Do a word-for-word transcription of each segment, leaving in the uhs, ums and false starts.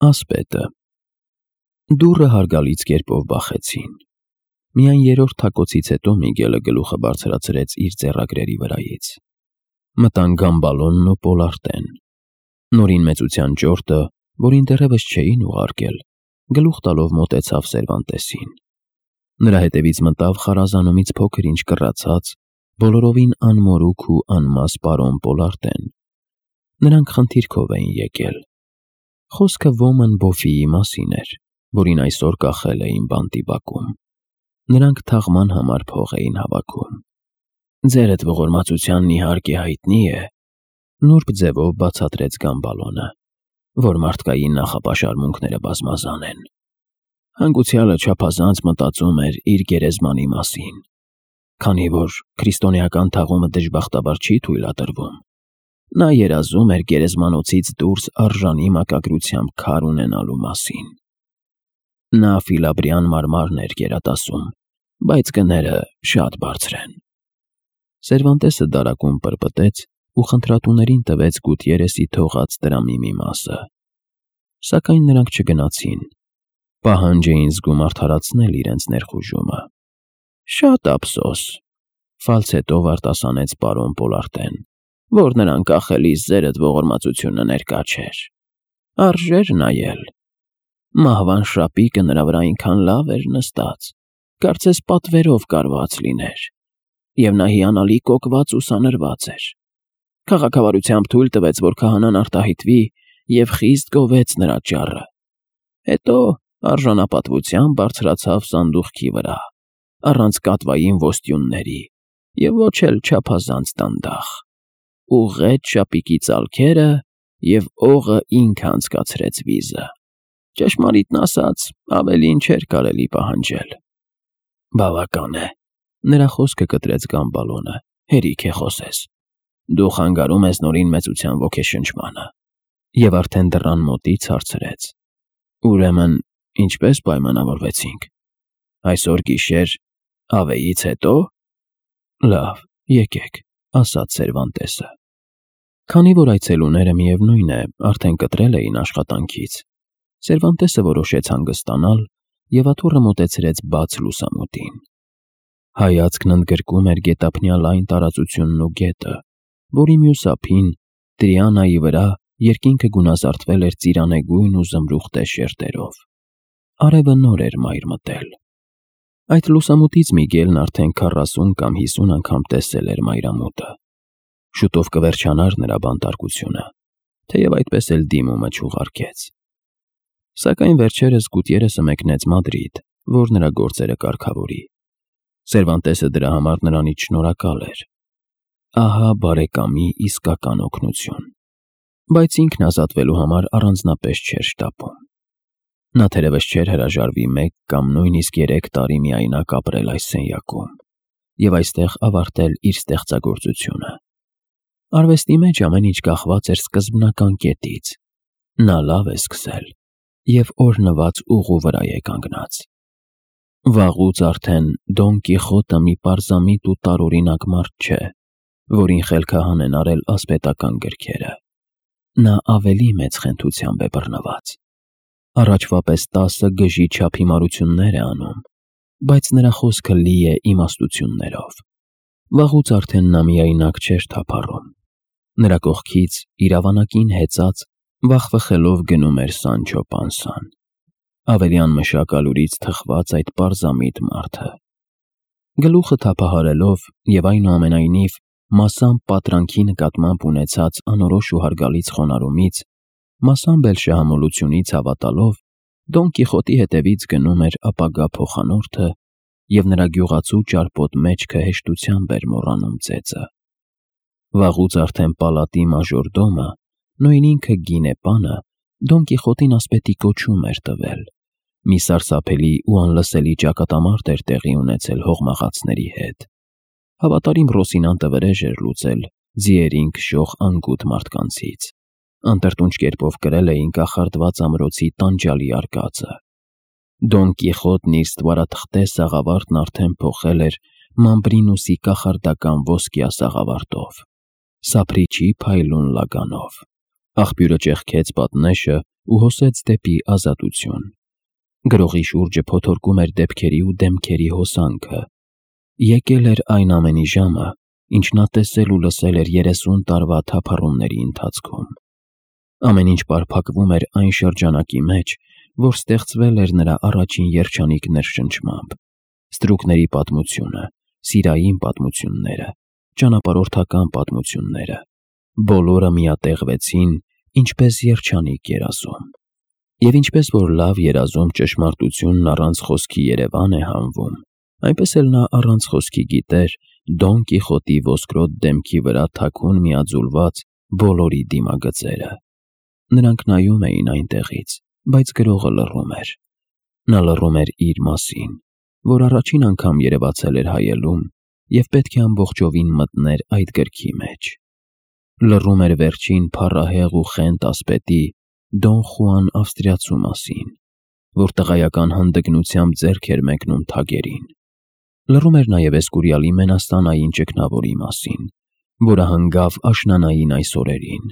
Ասպետը դուռը հարգալից կերպով բախեցին։ Միայն երրորդ թակոցից հետո Միգելը գլուխը բարձրացրեց իր ձեռագրերի վրայից։ Մտան Գամբալոնն ու Պոլարտեն։ Նորին մեծության ճորտը, որին դեռևս չէին ուղարկել, գլուխ տալով մոտեցավ Սերվանտեսին։ Նրա հետևից մտավ խարազանումից փոքր ինչ կռացած, բոլորովին անմորուք ու անմաս պարոն Պոլարտեն։ Նրանք խնդիրքով էին եկել։ Խոսքը Ոման Բոֆիի մասին էր, որին այսօր կախել էին բանտի բակում։ Նրանք թաղման համար փող էին հավաքում։ Ձերդ ողորմածությանն իհարկե հայտնի է, նուրբ ձևով բացատրեց Գամբալոնը, որ մարդկային նախապաշարմունքները բազմազան են։ Հանգուցյալը չափազանց մտածում էր իր գերեզմանի մասին, քանի որ քրիստոնեական թաղումը դժբախտաբար չի թույլատրվում։ Նա երազում էր գերեզմանոցից դուրս արժանի մակագրությամբ քար ունենալու մասին։ Նա Ֆիլաբրյան մարմարն էր գերատասում, բայց գները շատ բարձր են։ Սերվանտեսը դարակում պրպտեց ու խնդրատուներին տվեց Գուտիերեսի թողած դրամի մի մասը։ Սակայն նրանք չգնացին։ Պահանջ էին զգում արդարացնել իրենց ներխուժումը։ Շատ ափսոս, ֆալցետով արտասանեց պարոն Պոլարտեն, որ նրան կախելիս ձերդ ողորմածությունը ներկա չէր։ Արժեր նայել։ Մահվան շապիկը նրա վրա այնքան լավ էր նստած, կարծես պատվերով կարված լիներ, և նա հիանալի կոկված ու սանրված էր։ Քաղաքավարությամբ թույլ տվեց, որ քահանան արտահայտվի և խիստ գովեց նրա ճառը։ Հետո արժանապատվությամբ բարձրացավ սանդուղքի վրա, առանց կատվային ոստյունների և ոչ էլ չափազանց դանդաղ, ուղղեց շապիկի ծալքերը և օղը ինքը անցկացրեց վիզը։ Ճշմարիտն ասած, ավելին չէր կարելի պահանջել։ Բավական է, նրա խոսքը կտրեց Գամբալոնը, հերիք է խոսես։ Դու խանգարում ես նորին մեծության ոգեշնչմանը։ Եվ արդեն դռան մոտից հարցրեց. Ուրեմն, ինչպես պայմանավորվեցինք։ Այսօր գիշեր ավեից հետո։ Լավ, եկեք, ասաց Սերվանտեսը։ Քանի որ այցելուները միևնույն է, արդեն կտրել էին աշխատանքից, Սերվանտեսը որոշեց հանգստանալ և աթոռը մոտեցրեց բաց լուսամուտին։ Հայացքն ընդգրկում էր գետափնյա լայն տարածությունն ու գետը, որի մյուս ափին, Տրիանայի վրա, երկինքը գունազարդվել էր ծիրանեգույն ու զմրուխտե շերտերով։ Արևը նոր էր մայր մտել։ Այդ լուսամուտից Միգելն արդեն քառասուն կամ հիսուն անգամ տեսել էր մայրամուտը։ Շուտով կվերջանար նրա բանտարկությունը, թեև այդպես էլ դիմումը չուղարկեց։ Սակայն վերջերս Գուտիերեսը մեկնեց Մադրիդ, որ նրա գործերը կարգավորի։ Սերվանտեսը դրա համար նրանից շնորհակալ էր։ Ահա բարեկամի իսկական օգնություն։ Բայց ինքն ազատվելու համար առանձնապես չէր շտապում։ Նա թերևս չէր հրաժարվի մեկ կամ նույնիսկ երեք տարի միայնակ ապրել այս սենյակում և այստեղ ավարտել իր ստեղծագործությունը։ Արվեստի մեջ ամեն ինչ կախված էր սկզբնական կետից։ Նա լավ է սկսել և օրհնված ուղու վրա է կանգնած։ Վաղուց արդեն Դոն Կիխոտը մի պարզամիտ ու տարօրինակ մարդ չէ, որին խելքահան են արել ասպետական գրքերը։ Նա ավելի մեծ խենթությամբ է բռնված։ Առաջվա պես տասը գժի չափ հիմարություններ է անում, բայց նրա խոսքը լի է իմաստություններով։ Վաղուց արդեն նա միայնակ չէր թափառում։ Նրա կողքից իրավանակին հեծած վախվխելով գնում էր Սանչո Պանսան։ Ավելի անմշակալուրից թխված այդ պարզամիտ մարդը։ Գլուխը թափահարելով և այնուամենայնիվ մասամբ պատրանքի նկատմամբ ունեցած անորոշ ու հարգալից խոնարհումից, մասամբ էլ շահամոլությունից հավատալով, Դոն Կիխոտի հետևից գնում էր ապագա փոխանորդը և նրա գյուղացու ճարպոտ մեջքը հեշտությամբ էր մոռանում ծեծը։ Վաղուց արդեն պալատի մաժորդոմը, նույն ինքը Գինեպանը, Դոն Կիխոտին ասպետի կոչում էր տվել։ Մի սարսափելի ու անլսելի ճակատամարտ էր տեղի ունեցել հողմաղացների հետ։ Հավատարիմ Ռոսինանտը վրեժ էր լուծել ձիերին քշող անգութ մարդկանցից։ Անտրտունջ կերպով կրել էին կախարդված ամրոցի տանջալի արկածը։ Դոն Կիխոտն իր ստվարաթղթե սաղավարտն արդեն փոխել էր Մամբրինուսի կախարդական ոսկյա սաղավարտով, սափրիչի փայլուն լագանով։ Աղբյուրը ճեղքեց պատնեշը ու հոսեց դեպի ազատություն։ Գրողի շուրջը փոթորկում էր դեպքերի ու դեմքերի հոսանքը։ Եկել էր այն ամենի ժամը, ինչ նա տեսել ու լսել էր երեսուն տարվա թափառումների ընթացքում։ Ամեն ինչ պարփակվում էր այն շրջանակի մեջ, որ ստեղծվել էր նրա առաջին երջանիկ ներշնչմամբ։ Ստրուկների պատմությունը, սիրային պատմությունները, ճանապարհորդական պատմությունները, բոլորը միատեղվեցին, ինչպես երջանիկ երազում։ Եվ ինչպես որ լավ երազում ճշմարտությունն առանց խոսքի Երևան է հանվում, այնպես էլ նա առանց խոսքի գիտեր Դոն Կիխոտի ոսկրոտ դեմքի վրա թաքուն միաձուլված բոլորի դիմագծերը։ Նրանք նայում էին այնտեղից, բայց գրողը լռում էր։ Նա լռում էր իր մասին, որ առաջին անգամ երևացել էր հայելում և պետք է ամբողջովին մտներ այդ գրքի մեջ։ Լռում էր վերջին փառահեղ ու խենթ ասպետի Դոն Խուան ավստրիացու մասին, որ տղայական հանդգնությամբ ձեռք էր մեկնում թագերին։ Լռում էր նաև Էսկուրիալի մենաստանային ճգնավորի մասին, որը հանգավ աշնանային այս օրերին,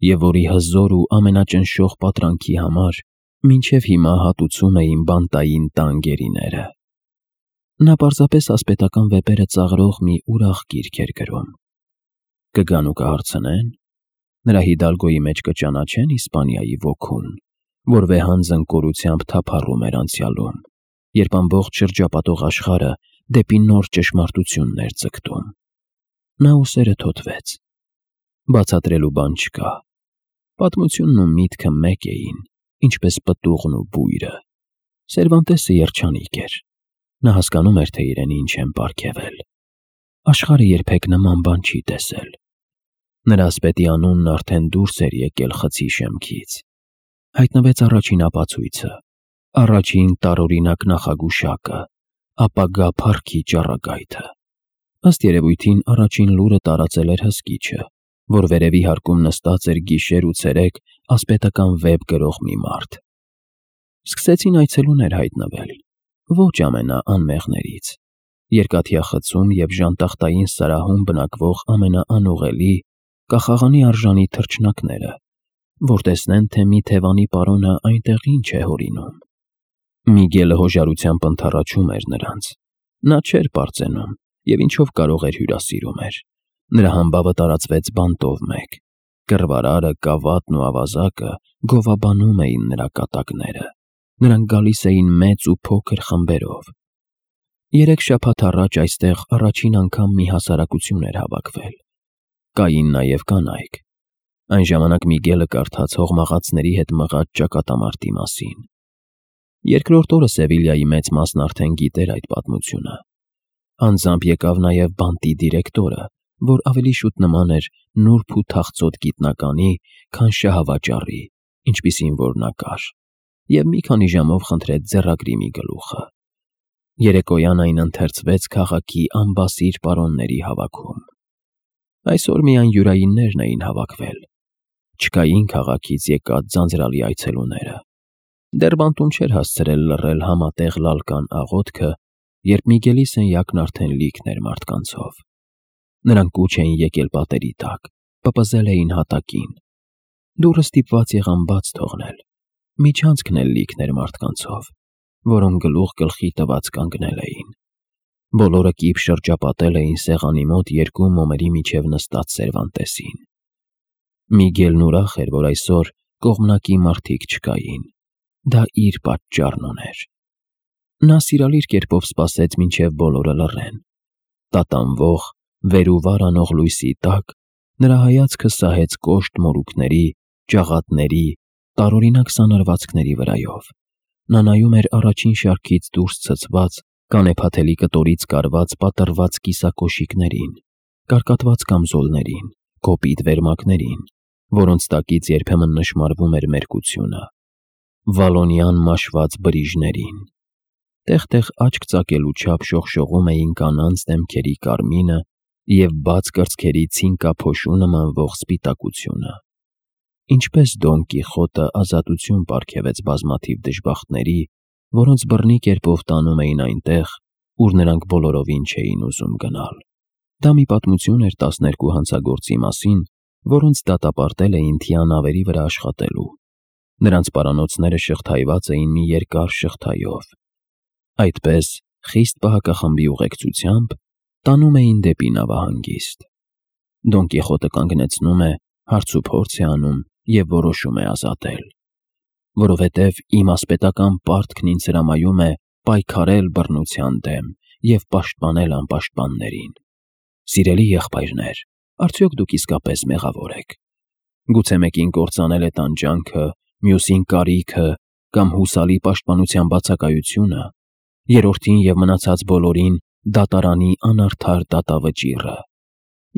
և որի հզոր ու ամենաճնշող պատրանքի համար մինչև հիմա հատուցում էին բանտային տան գերիները։ Նա պարզապես ասպետական վեպերը ծաղրող մի ուրախ գիրք էր գրում։ Կգան ու կհարցնեն, նրա Հիդալգոյի մեջ կճանաչեն Իսպանիայի ոգուն, որ վեհանձն կորությամբ թափառում էր անցյալում, երբ ամբողջ շրջապատող աշխարհը դեպի նոր ճշմարտությունն էր ձգտում։ Նա ուսերը թոթվեց։ Բացատրելու բան չկա։ Պատմությունն ու միտքը մեկ էին, ինչպես պտուղն ու բույրը։ Սերվանտեսը երջանիկ էր։ Նա հասկանում էր, թե իրեն ինչ են պարգևել։ Աշխարհը երբեք նման բան չի տեսել։ Նրա ասպետի անունն արդեն դուրս էր եկել խցի շեմքից։ Հայտնվեց առաջին ապացույցը, առաջին տարօրինակ նախագուշակը, ապագա փառքի ճառագայթը։ Ըստ երևույթին առաջին լուրը տարածել էր հսկիչը, որ վերևի հարկում նստած էր գիշեր ու ցերեկ ասպետական վեպ գրող մի մարդ։ Սկսեցին այցելուներ հայտնվել, ոչ ամենաանմեղներից։ Երկաթյա խցում և ժանտախտային սարահում բնակվող ամենաանուղելի, կախաղանի արժանի թռչնակները, որ տեսնեն, թե մի թևանի պարոնը այնտեղ ինչ է հորինում։ Միգելը հոժարությամբ ընդառաջում էր նրանց։ Նա չէր պարծենում և ինչով կարող էր հյուրասիրում էր։ Նրա համբավը տարածվեց բանտով մեկ։ Կռվարարը, կավատն ու ավազակը գովաբանում էին նրա կատակները։ Նրանք գալիս էին մեծ ու փոքր խմբերով։ Երեք շաբաթ առաջ այստեղ առաջին անգամ մի հասարակություն էր հավաքվել։ Կային նաև կանայք։ Այն ժամանակ Միգելը կարդաց հողմաղացների հետ մղած ճակատամարտի մասին։ Երկրորդ օրը Սևիլյայի մեծ մասն արդեն գիտեր այդ պատմությունը։ Անձամբ եկավ նաև բանտի դիրեկտորը, որ ավելի շուտ նման էր նուրբ ու թախծոտ գիտնականի, քան շահավաճառի, ինչպիսին որ նա կար, և մի քանի ժամով խնդրեց ձեռագրի մի գլուխը։ Երեկոյան այն ընթերցվեց քաղաքի անբասիր պարոնների հավաքում։ Այսօր միայն յուրայիններն էին հավաքվել։ Չկային քաղաքից եկած ձանձրալի այցելուները։ Դեռ բանտում չէր հասցրել լռել համատեղ լալկան աղոթքը, երբ Միգելի սենյակն արդեն լիքն էր մարդկանցով։ Նրանք կուչ էին եկել պատերի տակ, պպզել էին հատակին։ Դուռը ստիպված եղան բաց թողնել։ Միջանցքն էլ լիքն էր մարդկանցով, որոնք գլուխ գլխի տված կանգնել էին։ Բոլորը կիպ շրջապատել էին սեղանի մոտ երկու մոմերի միջև նստած Սերվանտեսին։ Միգելն ուրախ էր, որ այսօր կողմնակի մարդիկ չկային։ Դա իր պատճառն ուներ։ Նա սիրալիր կերպով սպասեց, մինչև բոլորը լռեն։ Տատանվող, վեր ու վար անող լույսի տակ նրա հայացքը սահեց կոշտ մորուքների, ճաղատների, տարօրինակ սանրվածքների վրայով։ Նա նայում էր առաջին շարքից դուրս ցցված, կանեփաթելի կտորից կարված պատռված կիսակոշիկներին, կարկատված կամզոլներին, կոպիտ վերմակներին, որոնց տակից երբեմն նշմարվում էր մերկությունը, վալոնյան մաշված բրիժներին։ Տեղ-տեղ աչք ծակելու չափ շողշողում էին կանանց դեմքերի կարմինը և բաց կրծքերի ցինկափոշու նմանվող սպիտակությունը։ Ինչպես Դոն Կիխոտը ազատություն պարգևեց բազմաթիվ դժբախտների, որոնց բռնի կերպով տանում էին այնտեղ, ուր նրանք բոլորովին չէին ուզում գնալ։ Դա մի պատմություն էր տասներկու հանցագործի մասին, որոնց դատապարտել էին թիանավերի վրա աշխատելու։ Նրանց պարանոցները շղթայված էին մի երկար շղթայով։ Այդպես, խիստ պահակախմբի ուղեկցությամբ տանում էին դեպի նավահանգիստ։ Դոն Կիխոտը կանգնեցնում է, հարցուփորձ է անում և որոշում է ազատել, որովհետև իմ ասպետական պարտքն ինձ հրամայում է պայքարել բռնության դեմ և պաշտպանել անպաշտպաններին։ Սիրելի եղբայրներ, արդյոք դուք իսկապես մեղավոր եք։ Գուցե մեկին կործանել է տանջանքը, մյուսին կարիքը կամ հուսալի պաշտպանության բացակայությունը, երրորդին և մնացած բոլորին դատարանի անարդար դատավճիռը։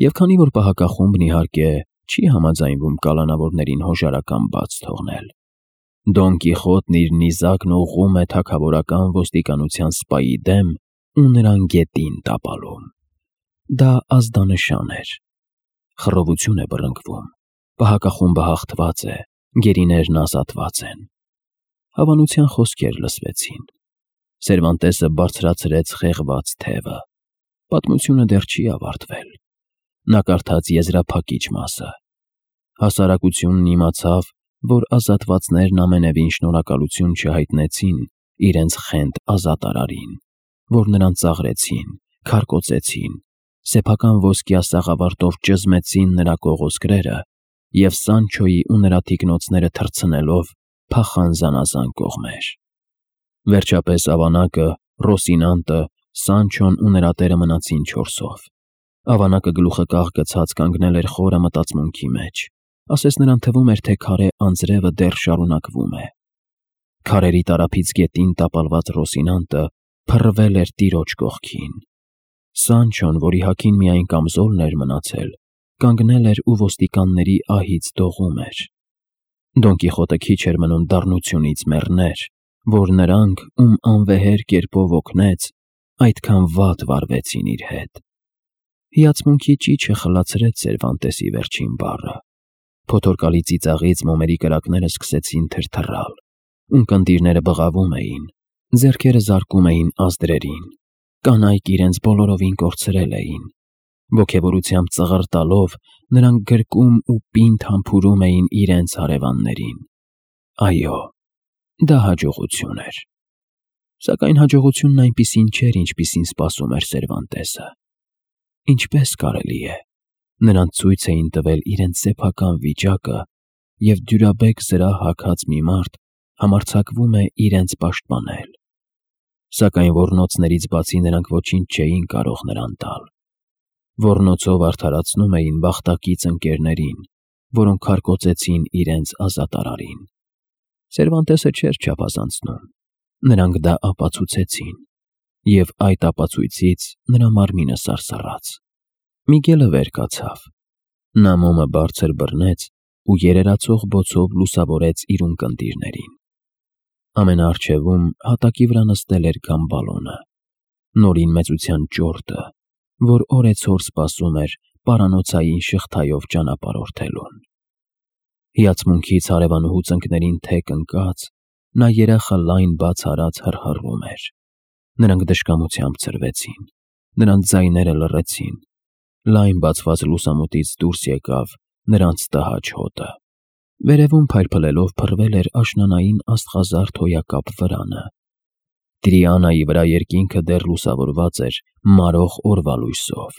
Եվ քանի որ պահակախումբն իհարկե չի համաձայնվում կալանավորներին հոժարական բաց թողնել, Դոն Կիխոտն իր նիզակն ուղղում է թագավորական ոստիկանության սպայի դեմ ու նրան գետին տապալում։ Դա ազդանշան էր։ Խռովություն է բռնկվում, պահակախումբը հաղթված է, գերիներն ազատված են։ Հավանության խոսքեր լսվեցին։ Սերվանտեսը բարձրացրեց խեղված թևը։ Պատմությունը դեռ չի ավարտվել։ Նա կարդաց եզրափակիչ մասը։ Հասարակությունն իմացավ, որ ազատվածներն ամենևին շնորհակալություն չհայտնեցին իրենց խենթ ազատարարին, որ նրան ծաղրեցին, քարկոծեցին, սեփական ոսկյա սաղավարտով ճզմեցին նրա կողոսկրերը և Սանչոյի ու նրա թիկնոցները թռցնելով փախան զանազան կողմեր։ Վերջապես ավանակը, Ռոսինանտը, Սանչոն ու նրա տերը մնացին չորսով։ Ավանակը գլուխը կաղ գցած կանգնել էր խորը մտածմունքի մեջ, ասես նրան թվում էր, թե քարե անձրևը դեռ շարունակվում է։ Քարերի տարափից գետին տապալված Ռոսինանտը փռվել էր տիրոջ կողքին։ Սանչոն, որի հագին միայն կամզոլն էր մնացել, կանգնել էր ու ոստիկանների ահից դողում էր։ Դոն Կիխոտը քիչ էր մնում դառնությունից մեռներ, որ նրանք, ում անվեհեր կերպով օգնեց, այդքան վատ վարվեցին իր հետ։ Հիացմունքի ճիչը խլացրեց Սերվանտեսի վերջին բառը։ Փոթորկալի ծիծաղից մոմերի կրակները սկսեցին թրթռալ, ունկնդիրները բղավում էին, ձեռքերը զարկում էին ազդրերին, կանայք իրենց բոլորովին կորցրել էին։ Ոգևորությամբ ծղր տալով նրանք գրկում ու պինդ համբուրում էին իրենց հարևաններին։ Այո, դա հաջողություն էր։ Սակայն հաջողությունն այնպիսին չէր, ինչպիսին սպասում էր Սերվանտեսը։ Ինչպես կարելի է։ Նրանց ցույց էին տվել իրենց սեփական վիճակը, և դյուրաբեկ զրահ հագած մի մարդ համարձակվում է իրենց պաշտպանել։ Սակայն ոռնոցներից բացի նրանք ոչինչ չէին կարող նրան տալ։ Ոռնոցով արդարացնում էին բախտակից ընկերներին, որոնք քարկոծեցին իրենց ազատարարին։ Սերվանտեսը չէր չափազանցնում։ Նրանք դա ապացուցեցին, և այդ ապացույցից նրա մարմինը սարսռաց։ Միգելը վեր կացավ։ Նա մոմը բարձր բռնեց ու երերացող բոցով լուսավորեց իր ունկնդիրներին։ Ամենաառջևում հատակի վրա նստել էր Գամբալոնը, նորին մեծության ճորտը, որ օրեցօր սպասում էր պարանոցային շղթայով ճանապարհորդելուն։ Հիացմունքից հարևանուհու ծնկներին թեք ընկած, նա երախը լայն բաց արած հռհռում էր։ Նրանք դժկամությամբ ցրվեցին, նրանց ձայները լռեցին։ Լայն բացված լուսամուտից դուրս եկավ նրանց տհաճ հոտը։ Վերևում փայլփլելով փռվել էր աշնանային աստղազարդ հոյակապ վրանը։ Տրիանայի վրա երկինքը դեռ լուսավորված էր մարող օրվա լույսով։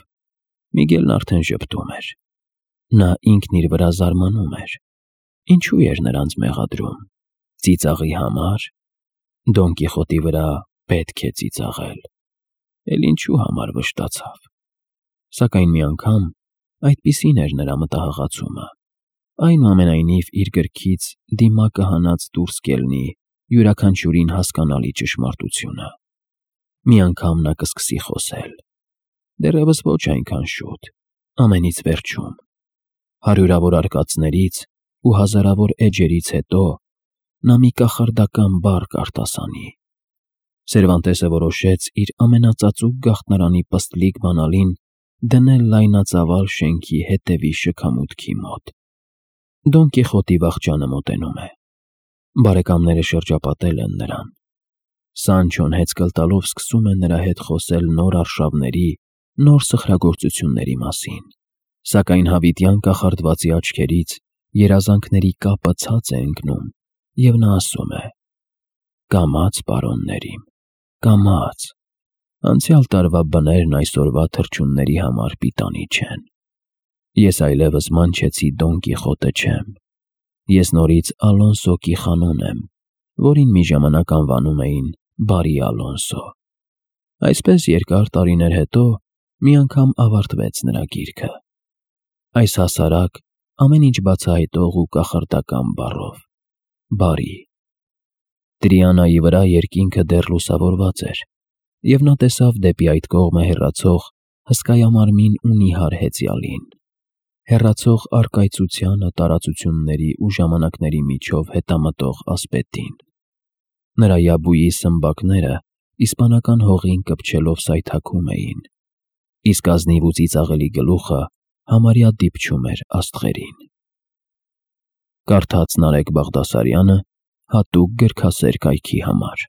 Միգելն արդեն ժպտում էր։ Նա ինքն իր վրա զարմանում էր։ Ինչու էր նրանց մեղադրում։ Ծիծաղի համար։ Դոն Կիխոտի վրա պետք է ծիծաղել։ Էլ ինչու համար վշտացավ։ Սակայն մի անգամ այդպիսին էր նրա մտահղացումը։ Այնուամենայնիվ իր գրքից դիմակը հանած դուրս կելնի յուրաքանչյուրին հասկանալի ճշմարտությունը։ Մի անգամ նա կսկսի խոսել։ Դեռևս ոչ այնքան շուտ, ամենից վերջում։ Հարյուրավոր արկածներից ու հազարավոր էջերից հետո նա մի կախարդական բառ կարտասանի։ Սերվանտեսը որոշեց իր ամենածածուկ գաղտնարանի պստլիկ բանալին դնել լայնածավալ շենքի հետևի շքամուտքի մոտ։ Դոն Կիխոտի վախճանը մոտենում է։ Բարեկամները շրջապատել են նրան։ Սանչոն հեծկլ տալով սկսում է նրա հետ խոսել նոր արշավների, նոր սխրագործությունների մասին։ Սակայն հավիտյան կախարդվածի աչքերից երազանքների կապը ցած է ընկնում, և նա ասում է. «Կամաց, պարոններիմ, կամաց, անցյալ տարվա բներն այսօրվա թռչունների համար պիտանի չեն։ Ես այլևս մանչեցի Դոն Կիխոտը չեմ, ես նորից Ալոնսո Կիխանոն եմ, որին մի ժամանակ անվանում էին Բարի Ալոնսո»։ Այսպես երկար տարիներ հետո մի անգամ ավարտվեց նրա գիրքը, այս հասարակ, ամեն ինչ բացահայտող ու կախարդական բառով՝ բարի։ Տրիանայի վրա երկինքը դեռ լուսավորված էր, և նա տեսավ դեպի այդ կողմը հեռացող հսկայամարմին ու նիհար հեծյալին, հեռացող առկայծությանը, տարածությունների ու ժամանակների միջով հետամտող ասպետին։ Նրա yabույի սմբակները իսպանական հողին կպչելով սայթաքում էին, իսկ ազնիվ ու ծիծաղելի գլուխը համարյա դիպչում էր աստղերին։ Կարդաց Նարեկ Բաղդասարյանը հատուկ գրքասեր կայքի համար։